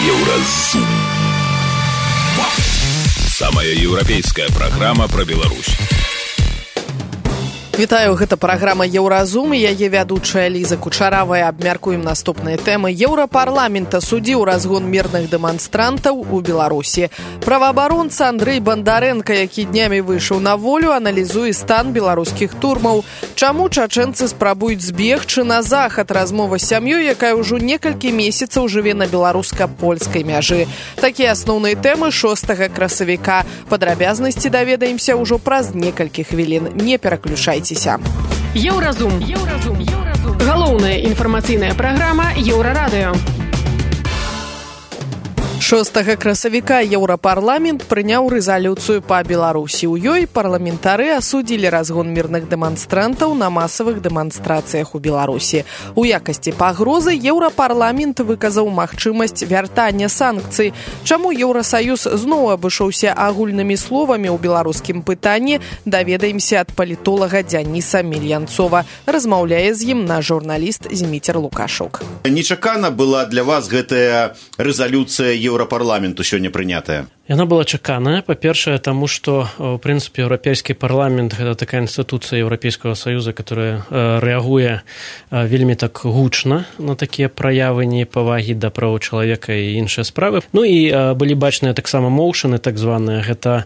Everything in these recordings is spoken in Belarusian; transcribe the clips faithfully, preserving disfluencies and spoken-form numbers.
Еўразум. Самая еўрапейская праграма пра Беларусь. Вітаю, гэта праграма «Еўразум» і яе вядучая Ліза Кучаравая. Абмяркуем наступныя тэмы. Еўрапарламент асудзіў разгон мірных дэманстрантаў у Беларусі. Праваабаронца Андрэй Бандарэнка, які днямі выйшаў на волю, аналізуе стан беларускіх турмаў. Чаму чачэнцы спрабуюць збегчы на захад? Размова з сям'ёй, якая ўжо некалькі месяцаў жыве на беларуска-польскай мяжы. Такія асноўныя тэмы шостага красавіка. Падрабязнасці даведаемся ўжо праз некалькі хвілін. Не пераключайце. Еўразум. Еўразум. Еўразум. Галоўная інфармацыйная праграма Еўрарадыё. шостага красавіка Еўрапарламент прыняў рэзалюцыю па Беларусі. У ёй парламентары асудзілі разгон мірных дэманстрантаў на масавых дэманстрацыях у Беларусі. У якасці пагрозы Еўрапарламент выказаў магчымасць вяртання санкцый. Чаму Еўрасаюз зноў абышоўся агульнымі словамі ў беларускім пытанні, даведаемся ад палітолага Дзяніса Мельянцова. Размаўляе з ім наш журналіст Зміцер Лукашук. Нечакана была для вас гэтая рэзалюцыя Еўрапарламенту сёння прынятая? Яна была чаканая, па-першае, таму што, у прынцыпе, Еўрапейскі парламент – гэта такая інстытуцыя Еўрапейскага Саюза, которая э, рэагуе э, вельмі так гучна на такія праявы непавагі да правоў чалавека і іншыя справы. Ну і э, былі бачныя таксама моўшыны, так званыя, гэта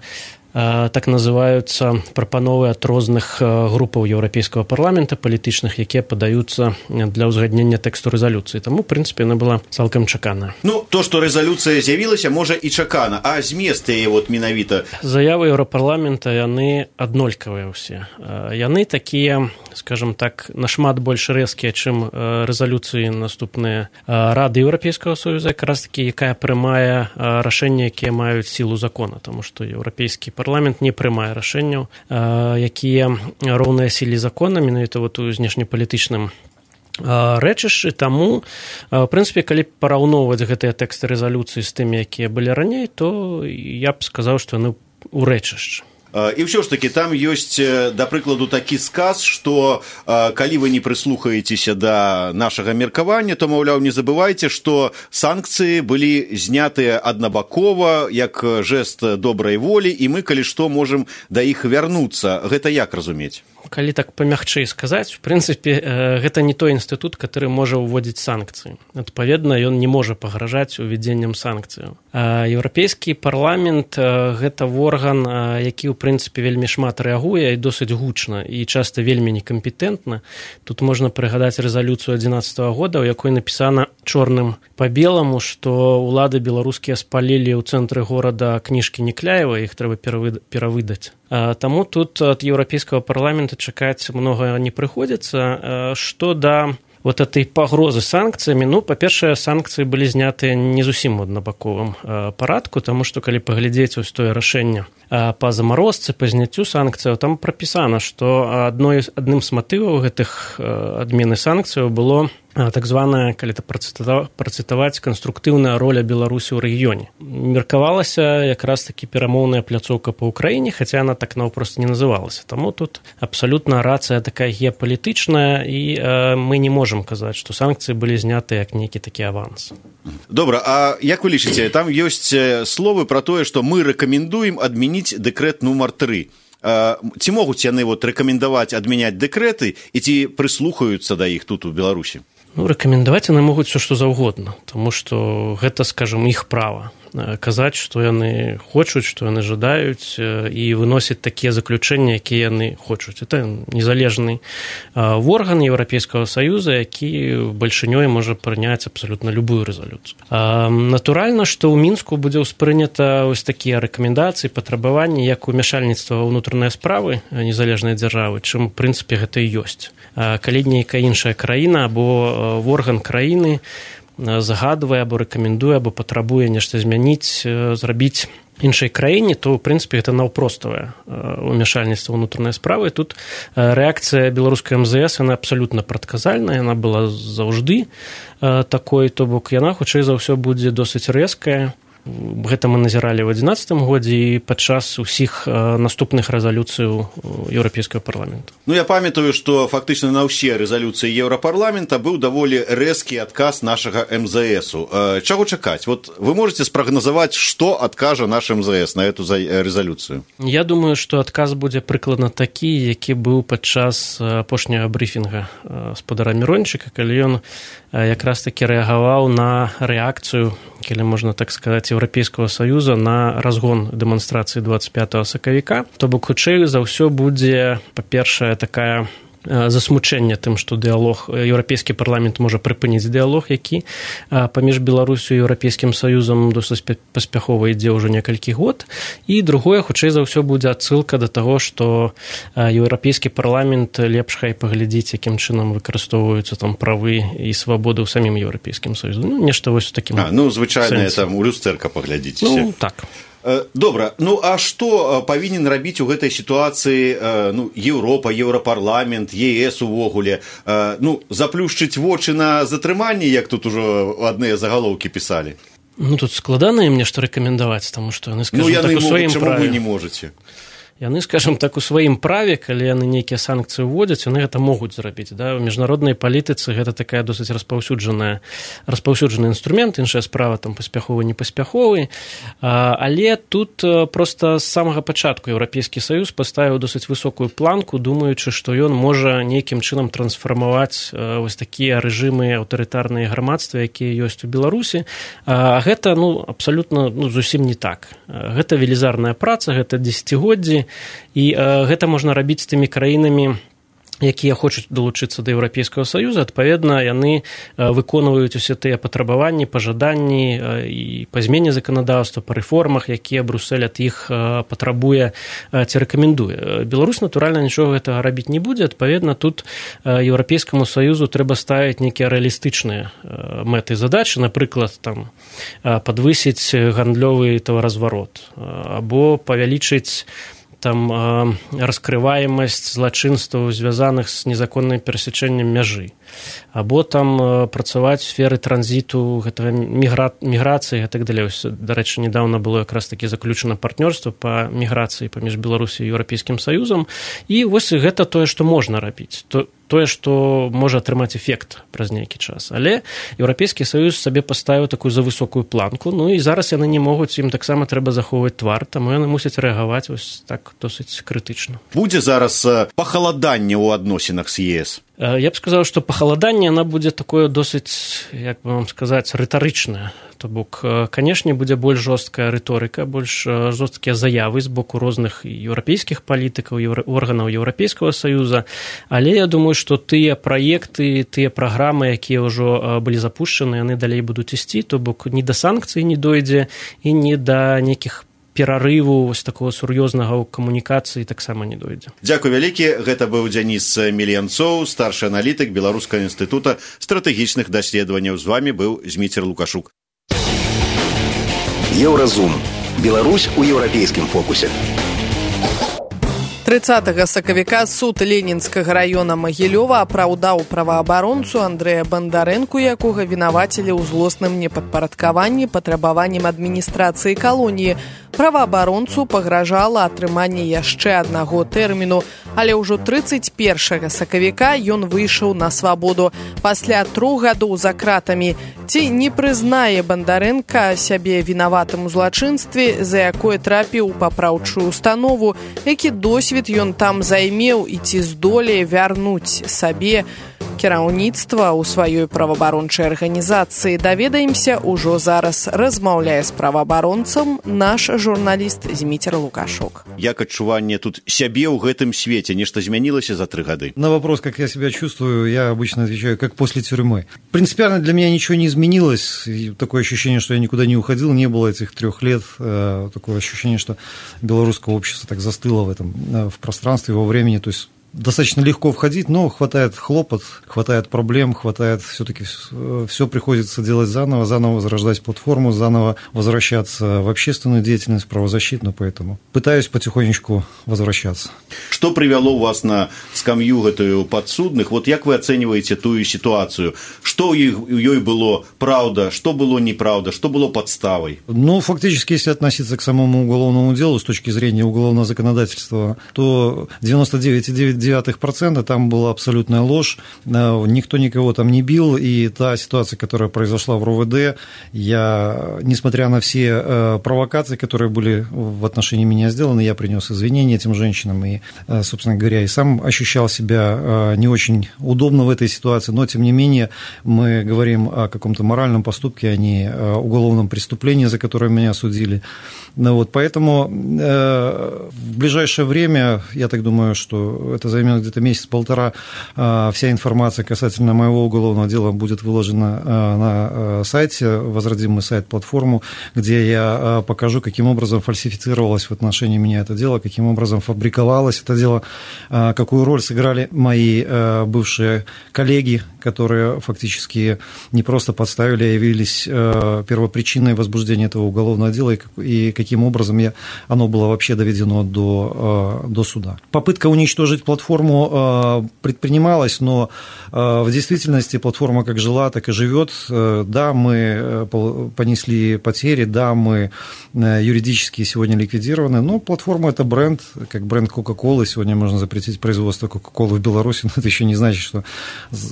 так называюцца прапановы ад розных групаў Еўрапейскага парламента палітычных, якія падаюцца для ўзгаднення тэксту рэзалюцыі. Таму, у прынцыпе, яна была цалкам чаканая. Ну, то, што рэзалюцыя з'явілася, можа і чакана, а змест яе вот менавіта? Заявы Еўрапарламента, яны аднолькавыя ўсе. Яны такія, скажам так, нашмат больш рэзкія, чым рэзалюцыі наступныя Рады Еўрапейскага Саюза, якраз такі, якая прымае рашэнні, якія маюць сілу закона, таму што еўрапейскі парламент не прымае рашэнняў, якія роўныя сіле закона, менавіта вот у знешнепалітычным рэчышчы. Таму, в прынцыпе, калі параўноўваць гэтыя тэксты рэзалюцыі з тымі, якія былі раней, то я б сказаў, што яны ў рэчышчы. І ўсё ж такі там ёсць, да прыкладу, такі сказ, што калі вы не прыслухаецеся да нашага меркавання, то, маўляў, не забывайце, што санкцыі былі знятыя аднабакова, як жэст добрай волі, і мы, калі што, можам да іх вярнуцца. Гэта як разумець? Калі так памягчэй сказаць, у прынцыпе, гэта не той інстытут, который можа ўводзіць санкцыі. Адпаведна, ён не можа пагражаць увядзеннем санкцыяў. Еўрапейскі парламент – гэта орган, які, у прынцыпе, вельмі шмат рэагуе і досыць гучна, і часта вельмі некампетэнтна. Тут можна прыгадаць рэзалюцыю адзінаццатага года, у якой напісана чорным па беламу, што ўлады беларускія спалілі ў цэнтры горада кніжкі Некляева, іх трэба перавыдаць. Таму тут ад Еўрапейскага парламента чакаць многа не прыходзіцца. Што да вот этой пагрозы санкцыямі, ну, па-першае, санкцыі былі знятыя не зусім у аднабаковым парадку, таму што калі паглядзець вось тое рашэнне па замарозцы, па зняццю санкцыяў, там прапісана, што адной адным з матываў гэтых адмены санкцыяў было так званая, калі это працытаваць, канструктыўная роля Беларусі ў рэгіёне. Меркавалася якраз такі перамоўная пляцоўка па Ўкраіне, хаця яна так наўпрост не называлася. Таму тут абсалютна рацыя такая геапалітычная, і э, мы не можам казаць, што санкцыі былі зняты як нейкі такі аванс. Добра, а як вы лічыце, там ёсць словы пра тое, што мы рэкамендуем адмяніць дэкрэт нумар тры. Ці могуць яны вот рэкамендаваць адмяняць дэкрэты і ці прыслухаюцца да іх тут у Беларусі? Ну, рэкамендаваць яны могуць все, што заўгодна, таму што гэта, скажам, іх права. Казаць, што яны хочуць, што яны жадаюць, і выносяць такія заключэнні, якія яны хочуць. Это незалежны орган Еўрапейскага Саюза, які бальшынёй можа прыняць абсалютна любую рэзалюцыю. Натуральна, што ў Мінску будзе ўспрынята ось такія рэкамендацыі, патрабаванні, як умяшальніцтва ва ўнутраныя справы незалежнай дзяржавы, чым, у прынцыпе, гэта і ёсць. Калі нейкая іншая краіна або орган краіны загадвае або рэкамендуе, або патрабуе нешта змяніць, зрабіць іншай краіне, то, ў прынцыпе, гэта наўпроставае умяшальніцтва ўнутранай справы. Тут рэакцыя беларускай эм зэ эс, яна абсалютна прадказальная, яна была заўжды такой, то бок яна, хутчэй за ўсё, будзе досыць рэзкая, Гэта мы назіралі ў адзінаццатым годзе і падчас усіх наступных рэзалюцыяў еўрапейскага парламента. Ну, я памятаю, што фактычна на ўсе рэзалюцыі еўрапарламента быў даволі рэзкі адказ нашага эм зэ эсу. Чаго чакаць? Вот вы можете спрагназаваць, што адкажа наш эм зэ эс на эту рэзалюцыю? Я думаю, што адказ будзе прыкладна такі, які быў падчас апошняга брыфінга спадара Мірончыка, калі ён якраз такі рэагаваў на рэакцыю, калі можна так сказаць, Еўрапейскага Саюза на разгон дэманстрацыі дваццаць пятага сакавіка. То бок, хутчэй за ўсё будзе, па-першае, такая засмучэнне тым, што дыялог, еўрапейскі парламент можа прыпыніць дыялог, які паміж Беларусю і Еўрапейскім Саюзам досыць паспяхова ідзе ўжо некалькі год. І другое, хутчэй за ўсё будзе адсылка да таго, што еўрапейскі парламент лепш хай паглядзіць, якім чынам выкарыстоўваюцца там правы і свабоды ў самім Еўрапейскім Саюзе. Ну, нешта вось у такім. А, ну, звычайна там у люстэрка паглядзіце. Ну, так. Добра, ну а што павінен рабіць у гэтай сітуацыі ну, Еўропа, Еўрапарламент, е эс увогуле? Ну, заплюшчыць вочы на затрыманне, як тут ужо адныя загалоўкі пісалі? Ну, тут складана ім нешта рэкамендаваць, таму што яны, скажам, ну, яны так у сваім могуць, чаму праве. Вы не можаце? Яны, скажем так, у сваім праве, калі яны нейкія санкцыі ўводзяць, яны гэта могуць зрабіць. Да? У міжнароднай палітыцы гэта такая досыць распаўсюджаная, распаўсюджаны інструмент, іншая справа там паспяховы, непаспяховы. Але тут проста з самага пачатку Еўрапейскі Саюз паставіў досыць высокую планку, думаючы, што ён можа нейкім чынам трансфармаваць вось такія рэжымы аўтарытарныя грамадства, якія ёсць у Беларусі. А гэта ну, абсалютна ну, зусім не так. Гэта велізарная праца, гэта дзесяцігоддзі, і э, гэта можна рабіць з тымі краінамі, якія хочуць далучыцца да Еўрапейскага Саюза. Адпаведна, яны выконваюць усе тыя патрабаванні, пажаданні і па змене заканадаўства, па рэформах, якія Брюссель ад іх патрабуе ці рэкамендуе. Беларусь, натуральна, нічога гэтага рабіць не будзе. Адпаведна, тут Еўрапейскаму Саюзу трэба ставіць нейкія рэалістычныя мэты і задачы, напрыклад, там, падвысіць гандлёвы таваразварот або павялічыць там раскрываемасць злачынстваў, звязаных з незаконным перасячэннем мяжы, або там працаваць у сферы транзіту, гэтага мігра... міграцыі і так далей. Дарэчы, недавно было якраз такі заключана партнёрства па міграцыі паміж Беларусі і Еўрапейскім Саюзам. І вось гэта тое, што можна рабіць. То тое, што можа атрымаць эфект праз нейкі час. Але Еўрапейскі Саюз сабе паставіў такую завысокую планку, ну і зараз яны не могуць, ім таксама трэба захоўваць твар, таму яны мусяць рэагаваць вось так досыць крытычна. Будзе зараз пахаладанне ў адносінах з е эс? Я б сказаў, што пахаладанне, яна будзе такое досыць, як бы вам сказаць, рытарычнае. То бок, канешне, будзе больш жорсткая рыторыка, больш жорсткія заявы з боку розных еўрапейскіх палітыкаў, еўра... органаў Еўрапейскага Саюза, але я думаю, што тыя праекты, тыя праграмы, якія ўжо былі запушчаны, яны далей будуць ісці, то бок ні да санкцый не дойдзе і ні да нейкіх перарыву вось такого сур'ёзнага ў камунікацыі таксама не дойдзе. Дзякуй вялікі. Гэта быў Дзяніс Мельянцоў, старшы аналітык Беларускага інстытута стратэгічных даследаванняў. З вамі быў Зміцер Лукашук. Еўразум. Беларусь у еўрапейскім фокусе. трыццатага сакавіка суд Ленінскага раёна Магілёва апраўдаў праваабаронцу Андрэя Бандарэнку, якога вінавацілі ў злосным непадпарадкаванні патрабаванням адміністрацыі калоніі. Праваабаронцу пагражала атрыманне яшчэ аднаго тэрміну, але ўжо трыццаць першага сакавіка ён выйшаў на свабоду пасля трох гадоў за кратамі. Ці не прызнае Бандарэнка сябе вінаватым у злачынстве, за якое трапіў у папраўчую установу, які досвед ён там займеў і ці здолее вярнуць сабе кіраўніцтва ў сваёй праваабарончай арганізацыі. Даведаемся ўжо зараз. Размаўляе з праваабаронцам наш журналіст Зміцер Лукашук. Як адчуванне тут сябе ў гэтым свеце? Нешта змянілася за три гады? На вопрос, как я себя чувствую, я обычно отвечаю, как после тюрьмы. Принципиально для меня ничего не изменилось. Такое ощущение, что я никуда не уходил, не было этих трех лет. Такое ощущение, что белорусское общество так застыло в этом, в пространстве, во времени. То есть достаточно легко входить, но хватает хлопот, хватает проблем, хватает все-таки все приходится делать заново, заново возрождать платформу, заново возвращаться в общественную деятельность, правозащитную, поэтому пытаюсь потихонечку возвращаться. Что привело вас на скамью гэтую подсудных? Вот как вы оцениваете ту ситуацию? Что у ей было правда, что было неправда, что было подставой? Ну, фактически, если относиться к самому уголовному делу с точки зрения уголовного законодательства, то девяносто девять целых девять десятых процента там была абсолютная ложь, никто никого там не бил, и та ситуация, которая произошла в РОВД, я, несмотря на все провокации, которые были в отношении меня сделаны, я принес извинения этим женщинам, и, собственно говоря, и сам ощущал себя не очень удобно в этой ситуации, но, тем не менее, мы говорим о каком-то моральном поступке, а не о уголовном преступлении, за которое меня осудили. Ну, вот, поэтому э, в ближайшее время, я так думаю, что это займет где-то месяц-полтора, э, вся информация касательно моего уголовного дела будет выложена э, на э, сайте, возродим мы сайт-платформу, где я э, покажу, каким образом фальсифицировалось в отношении меня это дело, каким образом фабриковалось это дело, э, какую роль сыграли мои э, бывшие коллеги, которые фактически не просто подставили, а явились э, первопричиной возбуждения этого уголовного дела, и, и каким образом я, оно было вообще доведено до, до суда. Попытка уничтожить платформу предпринималась, но в действительности платформа как жила, так и живет. Да, мы понесли потери, да, мы юридически сегодня ликвидированы, но платформа – это бренд, как бренд Кока-Колы. Сегодня можно запретить производство Кока-Колы в Беларуси, но это еще не значит, что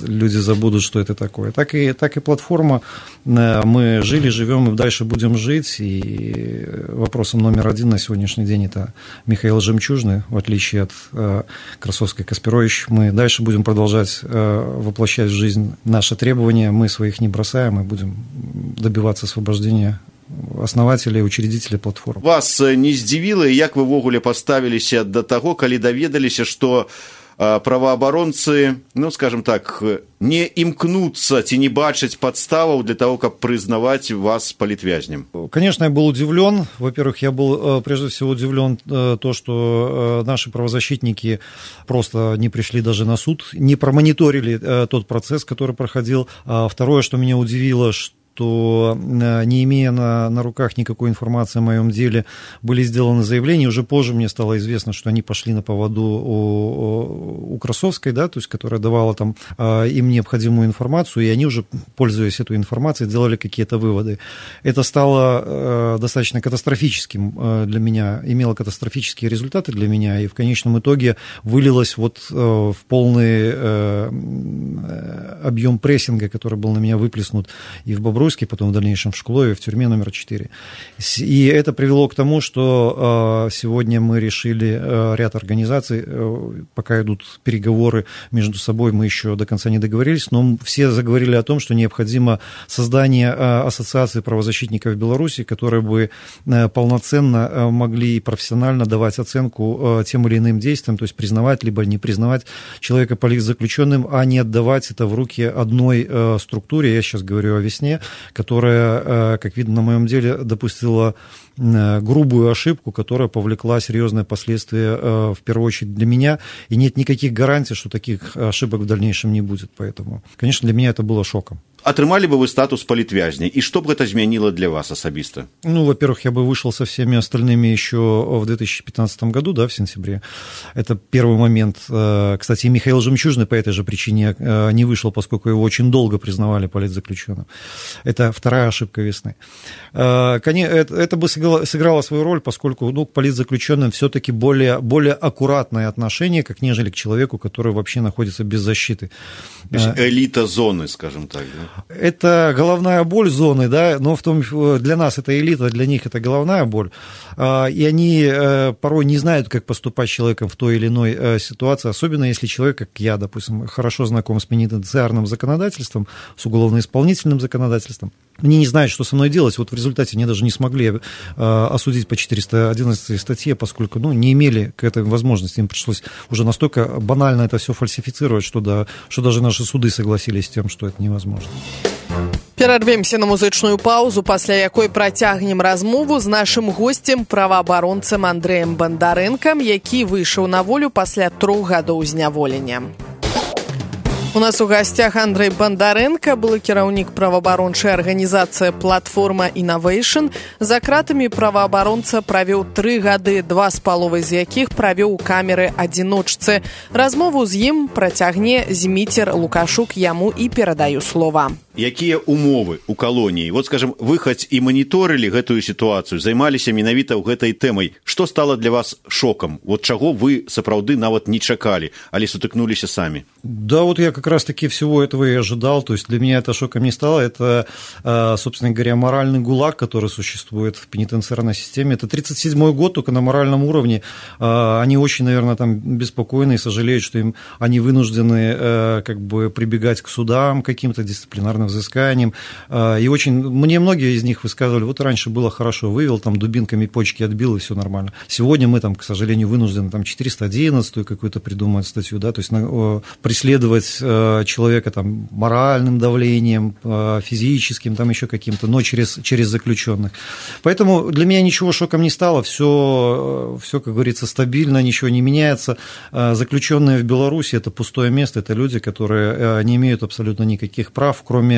люди забудут, что это такое. Так и, так и платформа. Мы жили, живем и дальше будем жить, и вопросом номер один на сегодняшний день это Михаил Жемчужный, в отличие от э, Красовской Каспирович. Мы дальше будем продолжать э, воплощать в жизнь наши требования, мы своих не бросаем, и будем добиваться освобождения основателей, учредителей платформы. Вас не здзівіла, як вы ввогуле паставіліся да таго, калі даведаліся, што праваабаронцы, ну, скажем так, не імкнуцца ці не бачаць подставаў для того, каб признавать вас политвязнем? Конечно, я был удивлен. Во-первых, я был прежде всего удивлен то, что наши правозащитники просто не пришли даже на суд, не промониторили тот процесс, который проходил. Второе, что меня удивило, что что, не имея на, на руках никакой информации о моем деле, были сделаны заявления. Уже позже мне стало известно, что они пошли на поводу у, у Красовской, да, то есть, которая давала там им необходимую информацию, и они уже, пользуясь этой информацией, делали какие-то выводы. Это стало достаточно катастрофическим для меня, имело катастрофические результаты для меня, и в конечном итоге вылилось вот в полный объем прессинга, который был на меня выплеснут и в Бобруйске, потом в дальнейшем в Шклове, в тюрьме номер четыре. И это привело к тому, что сегодня мы решили ряд организаций, пока идут переговоры между собой, мы еще до конца не договорились, но все заговорили о том, что необходимо создание ассоциации правозащитников Беларуси, которые бы полноценно могли и профессионально давать оценку тем или иным действиям, то есть признавать либо не признавать человека политзаключенным, а не отдавать это в руки одной структуре, я сейчас говорю о «Весне», которая, как видно на моем деле, допустила грубую ошибку, которая повлекла серьезные последствия, в первую очередь для меня, и нет никаких гарантий, что таких ошибок в дальнейшем не будет. Поэтому, конечно, для меня это было шоком. Атрымалі бы вы статус палітвязня, і што б гэта змяніло для вас асабіста? Ну, во-первых, я бы вышел со всеми остальными еще в две тысячи пятнадцатом году, да, в сентябре. Это первый момент. Кстати, Михаил Жемчужный по этой же причине не вышел, поскольку его очень долго признавали политзаключенным. Это вторая ошибка «Весны». Это бы сыграло свою роль, поскольку, ну, к политзаключенным все-таки более, более аккуратное отношение, как нежели к человеку, который вообще находится без защиты. То есть элита зоны, скажем так, да? Это головная боль зоны, да, но в том, для нас это элита, для них это головная боль, и они порой не знают, как поступать с человеком в той или иной ситуации, особенно если человек, как я, допустим, хорошо знаком с пенитенциарным законодательством, с уголовно-исполнительным законодательством. Они не знают, что со мной делать. Вот в результате они даже не смогли осудить по четыреста одиннадцатой статье, поскольку, ну, не имели к этой возможности. Им пришлось уже настолько банально это все фальсифицировать, что, да, что даже наши суды согласились с тем, что это невозможно. Перарвемся на музычную паузу, пасля якой працягнем размову з нашым госцем, праваабаронцам Андрэем Бандарэнкам, які выйшаў на волю пасля трох гадоў зняволення. У нас у гостях Андрей Бандаренко, былы кіраўнік праваабарончай арганізацыі «Платформа Innovation». За кратамі праваабаронца правёў тры гады, два з паловай з якіх правёў у камеры адзіночцы. Размову з ім працягне Зміцер Лукашук, яму і перадаю слова. Якія умовы у калоніі? Вот, скажем, вы хоць і маніторылі гэтую сітуацыю, займаліся менавіта ў гэтай тэмай. Што стала для вас шокам? Вот чаго вы сапраўды нават не чакалі, але сутыкнуліся самі? Да, вот я как раз-таки всего этого и ожидал. То есть для меня это шоком не стало. Это, собственно говоря, моральный гулаг, который существует в пенитенциарной системе. Это тридцать седьмой год, только на моральном уровне. Они очень, наверное, там беспокойны и сожалеют, что им, они вынуждены как бы прибегать к судам, каким-то дисциплинарным взысканиям. И очень, мне многие из них высказывали, вот раньше было хорошо, вывел, там дубинками почки отбил, и все нормально. Сегодня мы, там, к сожалению, вынуждены там четыреста одиннадцатую какую-то придумать статью, да, то есть преследовать человека там моральным давлением, физическим, там еще каким-то, но через, через заключенных. Поэтому для меня ничего шоком не стало, все, все, как говорится, стабильно, ничего не меняется. Заключенные в Беларуси – это пустое место, это люди, которые не имеют абсолютно никаких прав, кроме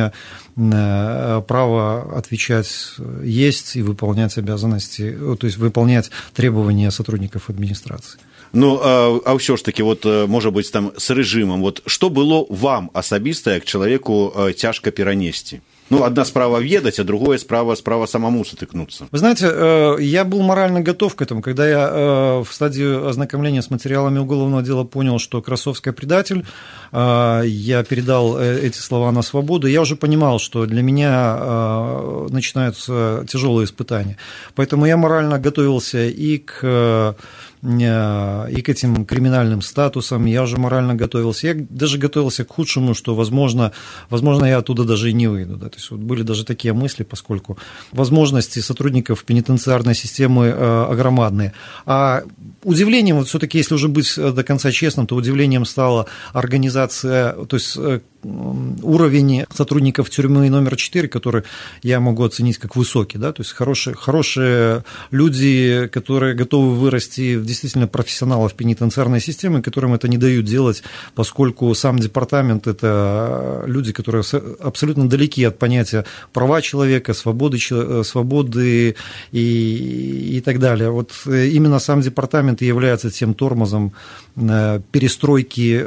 права отвечать есть и выполнять обязанности, то есть выполнять требования сотрудников администрации. Ну, а, а ўсё ж таки, вот, можа быць, там, с рэжымам, вот, што было вам асабіста, як чалавеку, цяжка перанесці? Ну, одна справа ведать, а другая справа, справа самому сутыкнуться. Вы знаете, я был морально готов к этому. Когда я в стадии ознакомления с материалами уголовного дела понял, что Красовский предатель, я передал эти слова на свободу, я уже понимал, что для меня начинаются тяжелые испытания. Поэтому я морально готовился и к... и к этим криминальным статусам, я уже морально готовился, я даже готовился к худшему, что, возможно, возможно я оттуда даже и не выйду. Да? То есть вот были даже такие мысли, поскольку возможности сотрудников пенитенциарной системы огромадные. А удивлением, вот все-таки, если уже быть до конца честным, то удивлением стала организация, то есть уровень сотрудников тюрьмы номер четыре, который я могу оценить как высокий, да, то есть хорошие, хорошие люди, которые готовы вырасти в действительно профессионалов пенитенциарной системы, которым это не дают делать, поскольку сам департамент – это люди, которые абсолютно далеки от понятия права человека, свободы, свободы и, и так далее. Вот именно сам департамент и является тем тормозом перестройки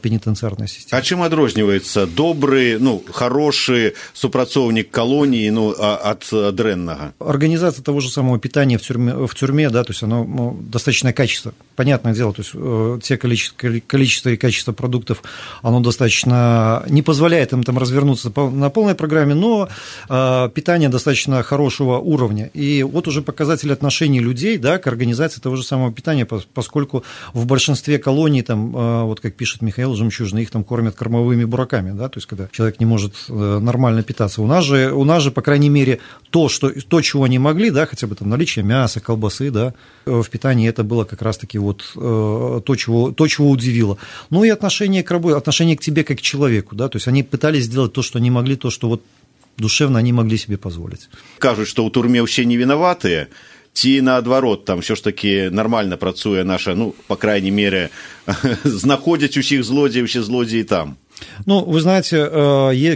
пенитенциарной системы. А чым адрозніваецца добрый, ну, хороший супрацоўнік колонии, ну, от дрэннага? Организация того же самого питания в тюрьме, в тюрьме, да, то есть оно, ну, достаточное качество, понятное дело, то есть э, те количество, количество и качество продуктов, оно достаточно не позволяет им там развернуться на полной программе, но э, питание достаточно хорошего уровня. И вот уже показатель отношений людей, да, к организации того же самого питания, поскольку в большинстве колоний, там, э, вот как пишет Михаил Жемчужный, их там кормят кормовыми бураками, да, то есть когда человек не может э, нормально питаться. У нас же, у нас же, по крайней мере, то, что, то, чего они могли, да, хотя бы там наличие мяса, колбасы, да, в питании, это было как раз-таки вот э, то, чего, то, чего удивило. Ну и отношение к работе, отношение к тебе как к человеку, да, то есть они пытались сделать то, что они могли, то, что вот душевно они могли себе позволить. Кажут, что у турме все не виноватые, ці наадварот, там все ж таки нормально працуе наша, ну, по крайней мере, знаходзяць усіх злодзеяў, усе злодзеі там. Ну, вы знаете,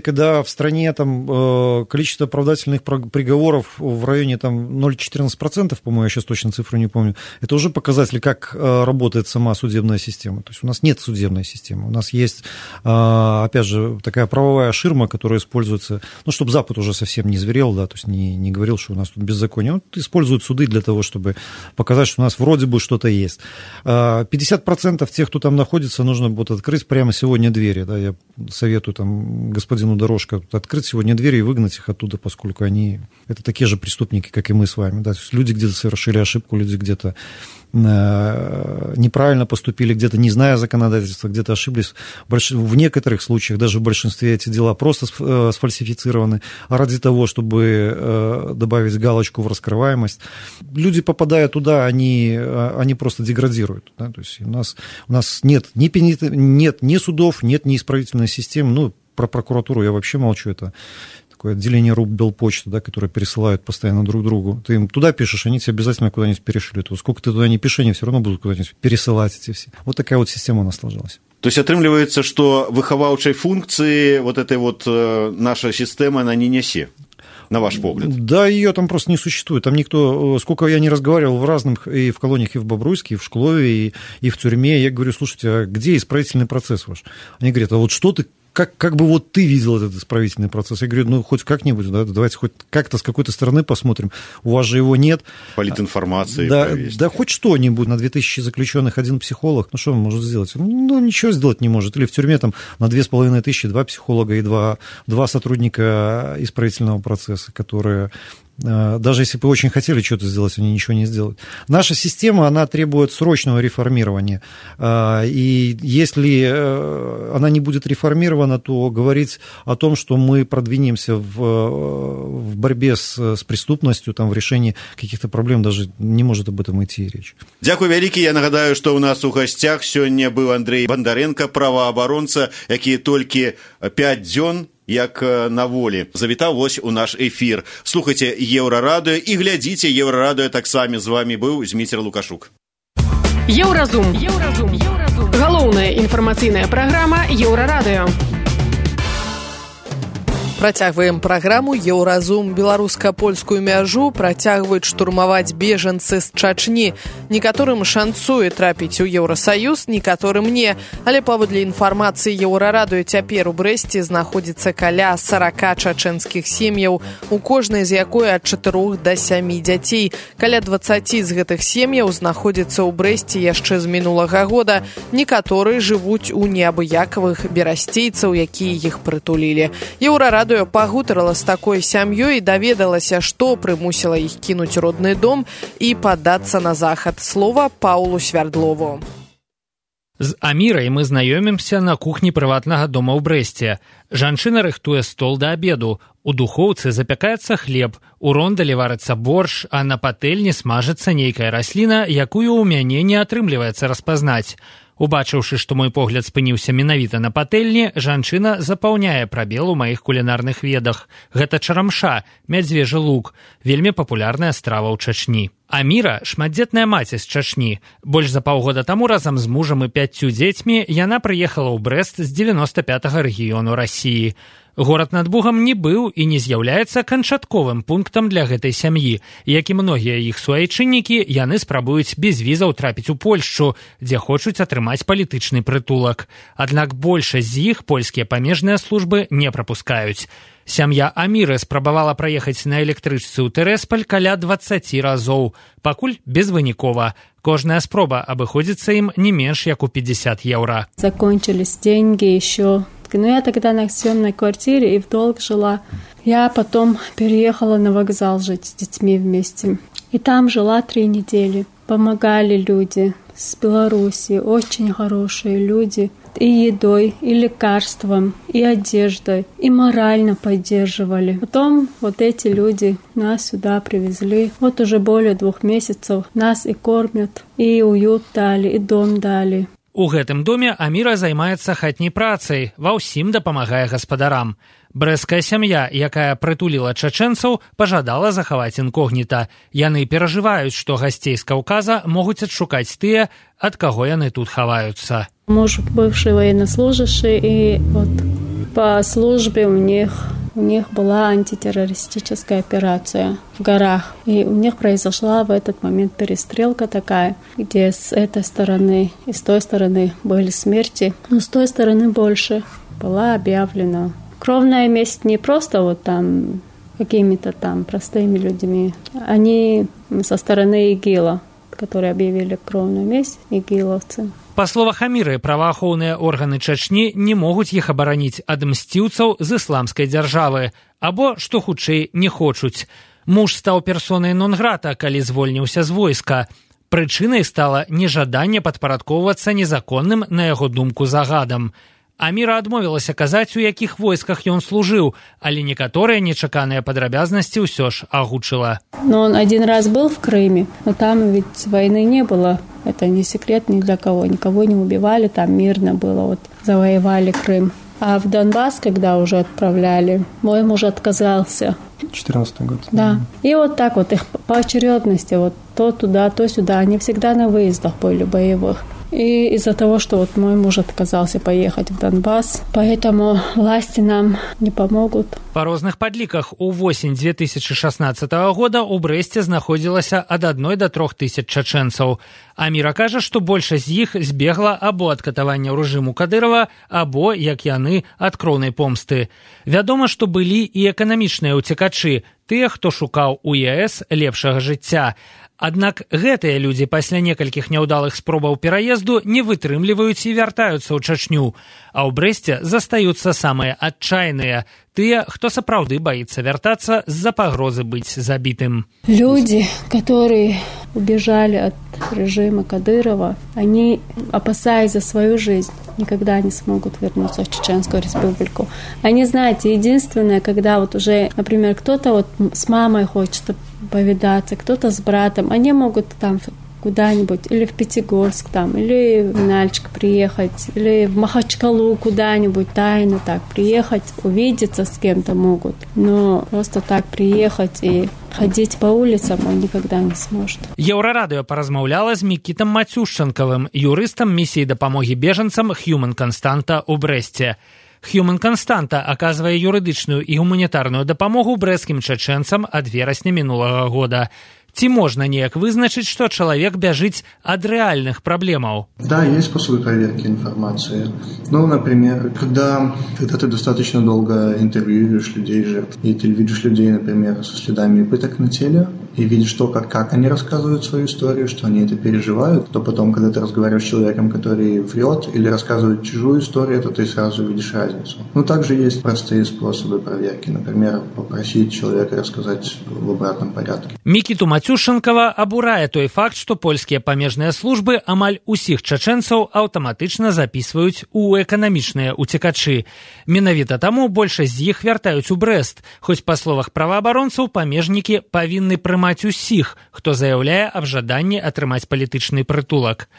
когда в стране там количество оправдательных приговоров в районе там ноль целых четырнадцать сотых процента, по-моему, я сейчас точно цифру не помню, это уже показатель, как работает сама судебная система. То есть у нас нет судебной системы, у нас есть, опять же, такая правовая ширма, которая используется, ну, чтобы Запад уже совсем не зверел, да, то есть не, не говорил, что у нас тут беззаконие. Вот используют суды для того, чтобы показать, что у нас вроде бы что-то есть. пятьдесят процентов тех, кто там находится, нужно будет открыть прямо сегодня двери, да, я советую там господину Дорожко открыть сегодня двери и выгнать их оттуда, поскольку они, это такие же преступники, как и мы с вами, да, то есть люди где-то совершили ошибку, люди где-то неправильно поступили, где-то не зная законодательства, где-то ошиблись. В некоторых случаях, даже в большинстве, эти дела просто сфальсифицированы, а ради того, чтобы добавить галочку в раскрываемость, люди, попадая туда, они, они просто деградируют. Да? То есть у нас, у нас нет, ни, нет ни судов, нет ни исправительной системы, ну, про прокуратуру я вообще молчу, это такое отделение РУП Белпочты, да, которые пересылают постоянно друг другу. Ты им туда пишешь, они тебе обязательно куда-нибудь перешлют. Вот сколько ты туда не пиши, они все равно будут куда-нибудь пересылать эти все. Вот такая вот система у нас сложилась. То есть атрымліваецца, што выхаваўчай функцыі вот этой вот э, наша система, она не нясе, на ваш погляд? Да, ее там просто не существует. Там никто, сколько я не разговаривал в разных, и в колониях, и в Бобруйске, и в Шклове, и, и в тюрьме, я говорю, слушайте, а где исправительный процесс ваш? Они говорят, а вот что ты, как, как бы вот ты видел этот исправительный процесс? Я говорю, ну, хоть как-нибудь, да, давайте хоть как-то с какой-то стороны посмотрим. У вас же его нет. Политинформации. Да, да хоть что-нибудь. На две тысячи заключенных один психолог. Ну, что он может сделать? Ну, ничего сделать не может. Или в тюрьме там на две с половиной тысячи два психолога и два, два сотрудника исправительного процесса, которые... Даже если бы очень хотели что-то сделать, они ничего не сделают. Наша система, она требует срочного реформирования. И если она не будет реформирована, то говорить о том, что мы продвинемся в, в борьбе с, с преступностью, там, в решении каких-то проблем, даже не может об этом идти речь. Дякую вялікі. Я нагадаю, што ў нас у гасцях сёння быў Андрей Бондаренко, праваабаронца, які толькі пяць дзён як на волі завітаў вось у наш эфір. Слухайце Еўрарадыё і глядзіце Еўрарадыё таксама. З вами быў Зміцер Лукашук. Еўразум. Еўразум. Еўразум. Галоўная інфармацыйная праграма Еўрарадыё. Працягваем праграму «Еўразум». Беларуска-польскую мяжу працягваюць штурмаваць бежанцы з Чачні. Некаторым шанцуе трапіць у Еўрасаюз, некаторым не. Але паводле інфармацыі Еўрарадыё цяпер у Брэсце знаходзіцца каля сорока чачэнскіх сем'яў, у кожнай з якой ад чатырох да сямі дзяцей. Каля дваццаці з гэтых сем'яў знаходзіцца ў Брэсце яшчэ з мінулага года. Некаторыя жывуць у неабыякавых берасцейцаў, якія іх прытулілі. Еўрарадыё пагутарыла з такой сям'ёй і даведалася, што прымусіла іх кінуць родны дом і падацца на захад. Слова Паулу Свярдлову. З Амірай мы знаёмімся на кухні прыватнага дома ў Брэсце. Жанчына рыхтуе стол да абеду. У духоўцы запякаецца хлеб, у рондалі варыцца борщ, а на патэльні смажыцца нейкая расліна, якую ў мяне не атрымліваецца распазнаць. Убачыўшы, што мой погляд спыніўся менавіта на патэльні, жанчына запаўняе прабел у маіх кулінарных ведах. Гэта чарамша, мядзвежы лук, вельмі папулярная страва ў Чачні. Аміра – шматдзетная маці з Чачні. Больш за паўгода таму разам з мужам і пяццю дзецьмі яна прыехала ў Брэст з дзевяноста пятага рэгіёну Расіі. Горад над Бугам не быў і не з'яўляецца канчатковым пунктам для гэтай сям'і. Як і многія іх суайчыннікі, яны спрабуюць без візаў трапіць у Польшчу, дзе хочуць атрымаць палітычны прытулак. Аднак большасць з іх польскія памежныя службы не прапускаюць. Сям'я Аміры спрабавала праехаць на электрычцы ў Тэрэсполь каля дваццаці разоў. Пакуль безвынікова. Кожная спроба абыходзіцца ім не менш як у пятьдесят евро. Закончились деньги еще. Но я тогда на съемной квартире и в долг жила. Я потом переехала на вокзал жить с детьми вместе. И там жила три недели. Помогали люди с Беларуси, очень хорошие люди. И едой, и лекарством, и одеждой, и морально поддерживали. Потом вот эти люди нас сюда привезли. Вот уже более двух месяцев нас и кормят, и уют дали, и дом дали. У гэтым доме Аміра займаецца хатняй працай, ва ўсім дапамагае гаспадарам. Брэсцкая сям'я, якая прытуліла чачэнцаў, пажадала захаваць інкогніта. Яны перажываюць, што гасцей з Каўказа могуць адшукаць тыя, ад каго яны тут хаваюцца. Муж бывший военнослужащий, и вот по службе у них, у них была антитеррористическая операция в горах. И у них произошла в этот момент перестрелка такая, где с этой стороны и с той стороны были смерти, но с той стороны больше была объявлена. Кровная месть не просто вот там какими-то там простыми людьми, они со стороны ИГИЛа, которые объявили кровную месть, игиловцы. Па словах Аміры, праваахоўныя органы Чачні не могуць іх абараніць ад мсціўцаў з ісламскай дзяржавы, або, што хутчэй, не хочуць. Муж стаў персонай нон-грата, калі звольніўся з войска. Прычынай стала нежаданне падпарадкоўвацца незаконным, на яго думку, загадам. Аміра адмовілася казаць, у якіх войсках ён служыў, але некаторыя нечаканыя падрабязнасці ўсё ж агучыла. Но он один раз был в Крыме, но там ведь войны не было. Это не секрет ни для кого, никого не убивали, там мирно было, вот завоевали Крым. А в Донбасс, когда уже отправляли, мой муж отказался. четырнадцатый год. Да. И вот так вот их по очередности, вот то туда, то сюда. Они всегда на выездах были боевых. И из-за того, что вот мой муж отказался поехать в Донбасс, поэтому власти нам не помогут. Па розных падліках у восень две тысячи шестнадцатого года ў Брэсце знаходзілася ад адной да трох тысяч чачэнцаў. Аміра кажа, што большасць з іх збегла або ад катавання рэжыму Кадырова, або, як яны, ад кроўнай помсты. Вядома, што былі і эканамічныя ўцекачы, тыя, хто шукаў у ЕС лепшага жыцця. Аднак гэтыя людзі пасля некалькіх няўдалых спробаў пераезду не вытрымліваюць і вяртаюцца ў Чачню. А ў Брэсце застаюцца самыя адчайныя, тыя, хто сапраўды баіцца вяртацца з-за пагрозы быць забітым. Люди, которые убежали от режима Кадырова, они, опасаясь за свою жизнь, никогда не смогут вернуться в Чеченскую республику. Они, знаете, единственное, когда вот уже, например, кто-то вот с мамой хочет повидаться, кто-то с братом, они могут там куда-нибудь, или в Пятигорск там, или в Нальчик приехать, или в Махачкалу куда-нибудь тайно так приехать, увидеться с кем-то могут. Но просто так приехать и ходить по улицам он никогда не сможет. Еўрарадыё паразмаўляла з Мікітам Мацюшчанкавым, юрыстам місіі дапамогі бежанцам Human Constanta ў Брэсце. Human Constanta аказвае юрыдычную і гуманітарную дапамогу брэсцкім чачэнцам ад верасня мінулага года. Ці можна неяк вызначыць, што чалавек бяжыць ад рэальных праблемаў? Да, есть способы проверки информации. Ну, например, когда, когда ты достаточно долго интервьюируешь людей, жертв, и ты видишь людей, например, со следами пыток на теле, и видишь то, как, как они рассказывают свою историю, что они это переживают, то потом, когда ты разговариваешь с человеком, который врет или рассказывает чужую историю, то ты сразу видишь разницу. Ну, также есть простые способы проверки. Например, попросить человека рассказать в обратном порядке. Мікіту Мацюшчанкава абурае той факт, што польскія памежныя службы амаль усіх чачэнцаў аўтаматычна запісваюць у эканамічныя ўцекачы. Менавіта таму большасць з іх вяртаюць у Брэст, хоць па словах праваабаронцаў памежнікі павінны прымаць усіх, хто заяўляе аб жаданні атрымаць палітычны прытулак.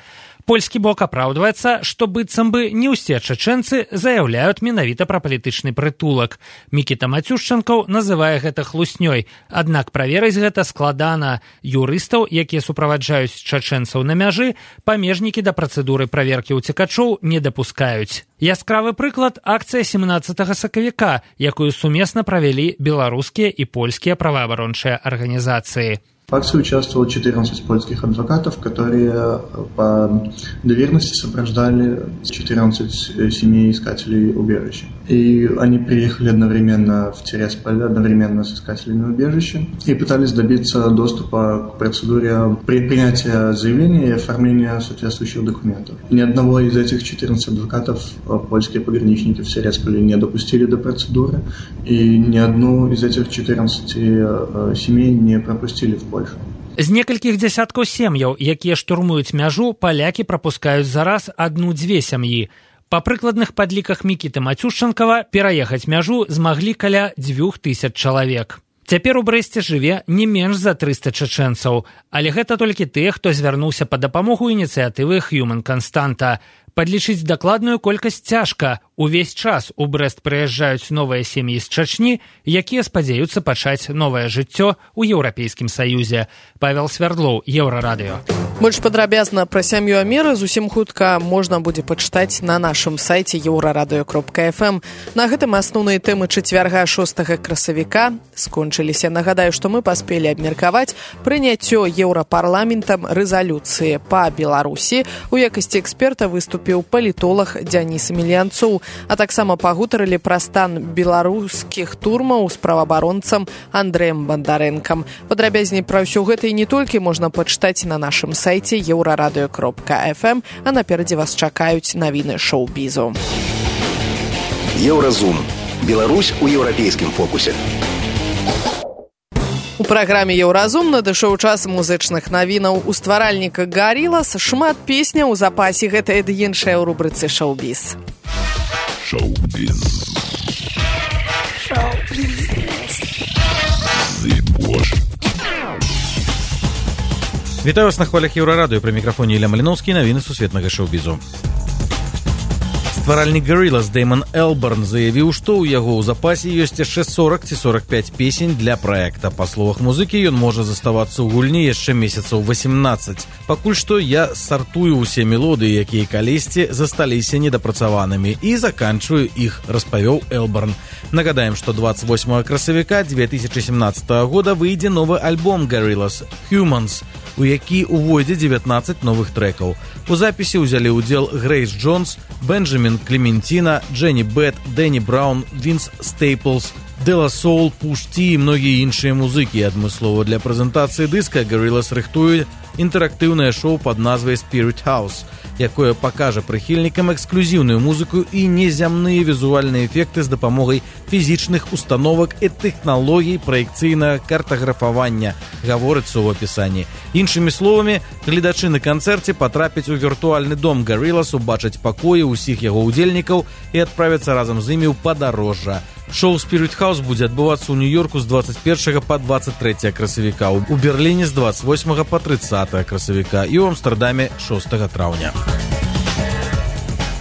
Польскі бок апраўдваецца, што быццам бы не ўсе чачэнцы заяўляюць менавіта пра палітычны прытулак. Мікіта Мацюшчанкаў называе гэта хлуснёй, аднак праверыць гэта складана. Юрыстаў, якія суправаджаюць чачэнцаў на мяжы, памежнікі да працэдуры праверкі ўцекачоў не дапускаюць. Яскравы прыклад – акцыя семнаццатага сакавіка, якую сумесна правялі беларускія і польскія праваабарончыя арганізацыі. В акции участвовало четырнадцать польских адвокатов, которые по доверенности сопровождали четырнадцать семей искателей убежища. И они приехали одновременно в Тирасполь, одновременно с искателями убежища, и пытались добиться доступа к процедуре принятия заявления и оформления соответствующих документов. Ни одного из этих четырнадцати адвокатов польские пограничники в Тирасполе не допустили до процедуры, и ни одну из этих четырнадцати семей не пропустили в Польшу. З некалькіх дзясяткаў сем'яў, якія штурмуюць мяжу, палякі прапускаюць за раз адну-дзве сям'і. Па прыкладных падліках Мікіты Мацюшчанкава пераехаць мяжу змаглі каля дзвюх тысяч чалавек. Цяпер у Брэсце жыве не менш за трыста чачэнцаў, але гэта толькі тыя, хто звярнуўся па дапамогу ініцыятывы Human Constanta. Падлічыць дакладную колькасць цяжка. Увесь час у Брэст прыязджаюць новыя сем'і з Чачні, якія спадзяюцца пачаць новае жыццё ў Еўрапейскім Саюзе. Павел Свярдлоў, Еўрарадыё. Больш падрабязна пра сям'ю Аміры зусім хутка можна будзе пачытаць на нашым сайце еўрарадыё кропка эф эм. На гэтым асноўныя тэмы чацвярга шостага красавіка скончыліся. Нагадаю, што мы паспелі абмеркаваць прыняццё Еўрапарламентам рэзалюцыі па Беларусі. У якасці эксперта выступіў палітолог Дзяніс Емельянцоў, а таксама пагутарылі пра стан беларускіх турмаў з праваабаронцам Андрэем Бандарэнкам. Падрабязней пра ўсё гэта і не толькі можна пачытаць на нашым сайце еўрарадыё кропка эф эм, а наперадзе вас чакаюць навіны шоу-бізу. Еўразум. Беларусь у еўрапейскім фокусе. У праграме «Еўразум» надышоў час музычных навінаў. У стваральніка «Гарілас» шмат песняў у запасе, гэта і іншая ў рубрыцы «Шоу-біз». Шоу-біз. Шоу-біз. Вітаю вас на хвалях Еўрарадыё. Пры мікрафоне Ілля Маліноўскі, навіны сусветнага шоу-бізу. Стваральнік Gorillaz Дэйман Элбарн заявіў, што ў яго ў запасе ёсць яшчэ сорок ці сорок пяць песень для праекта. Па словах музыкі, ён можа заставацца ў гульні яшчэ месяцаў восемнадцаць. Пакуль што я сартую ўсе мелодыі, якія калісьці засталіся недапрацаванымі, і заканчваю іх, распавёў Элбарн. Нагадаем, што двадцать восьмого красавіка две тысячи семнадцатого года выйдзе новы альбом Gorillaz Humans, у які увойдзе девятнадцать новых трэкаў. У запісе ўзялі ўдзел Грэйс Джонс, Бенджамін Клементина, Дженні Бэт, Дэнні Браун, Вінс Стейплс, Дела Соул, Пуш Ті і многія іншыя музыкі. Адмыслова для прэзентацыі дыска Gorillaz рыхтуе інтэрактыўнае шоу пад назвай Spirit House, якое пакажа прыхільнікам эксклюзіўную музыку і незямныя візуальныя эфекты з дапамогай фізічных установак і тэхналогій праекцыйнага картаграфавання, гаворыцца ў апісанні. Іншымі словамі, гледачы на канцэрце патрапяць у віртуальны дом Gorillaz, убачаць пакоі ўсіх яго ўдзельнікаў і адправяцца разам з імі ў падарожжа. Шоу Spirit House будзе адбывацца ў Нью-Йорку з двадцать первого па двадцать третьего красавіка, у Берліне з двадцать восьмого па тридцатое красавіка і ў Амстэрдаме шостага траўня.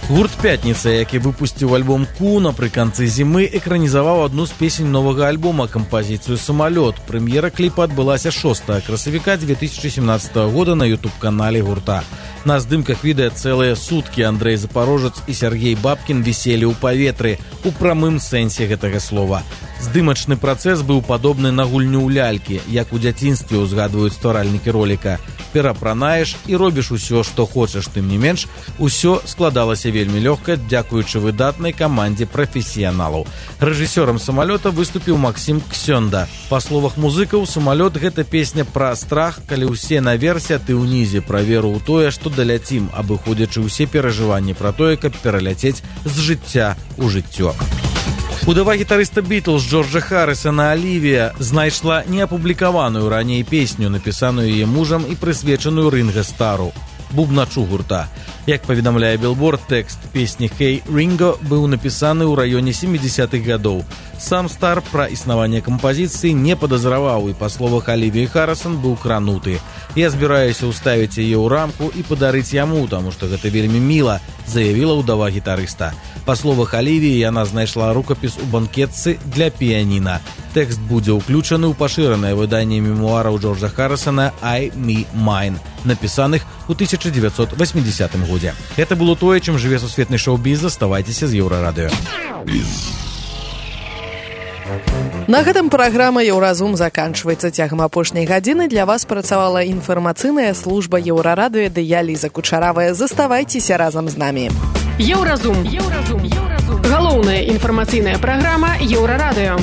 Гурт «Пятница», які выпусціў альбом «Ку» напрыканцы зімы, экранізаваў адну з песень новага альбома, кампазіцыю «Самалёт». Прэм'ера кліпа адбылася шостага красавіка две тысячи семнадцатого года на ютуб-канале гурта. На здымках відэа цэлыя суткі Андрэй Запарожец і Сергей Бабкін віселі ў паветры, у прамым сэнсе гэтага слова. Здымачны працэс быў падобны на гульню ў лялькі, як у дзяцінстве ўзгадваюць стваральнікі роліка. Перапранаеш і робіш усё, што хочаш, тым не менш, усё складалася вельмі лёгка, дзякуючы выдатнай камандзе прафесіяналаў. Рэжысёрам «Самалёта» выступіў Максім Ксёнда. Па словах музыкаў, «Самалёт» — гэта песня пра страх, калі ўсе наверсе, а ты ўнізе, пра веру ў тое, што даляцім, абыходзячы ўсе перажыванні пра тое, каб пераляцець з жыцця ў жыццё. Удава гітарыста Бітлз Джорджа Харрісона Алівія знайшла неапублікаваную раней песню, напісаную яе мужам і прысвечаную Ринго Стару, бубначу гурта. Як паведамляе Billboard, тэкст песні «Hey Ringo» быў напісаны ў раёне семидесятых гадоў. Сам Стар пра існаванне кампазіцыі не падазраваў і, па словах Алівіі Харрісон, быў крануты. «Я збіраюся ўставіць яе ў рамку і падарыць яму, таму што гэта вельмі міла», заявіла ўдава гітарыста. Па словах Алівіі, яна знайшла рукапіс у банкетцы для піяніна. Тэкст будзе ўключаны ў пашыранае выданне мемуараў Джорджа Харрісона «I, Me, Mine», напісаных у тысяча девятьсот восьмидесятым годзе. Гэта было тое, чым жыве сусветны шоу-біз. Заставайцеся з Еўрарадыё. На гэтым праграма «Еўразум» заканчваецца. Цягам апошняй гадзіны для вас працавала інфармацыйная служба Еўрарадыё ды я, Ліза Кучаравая. Заставайцеся разам з намі. Еўразум. Еўразум. Еўразум. Галоўная інфармацыйная праграма Еўрарадыё.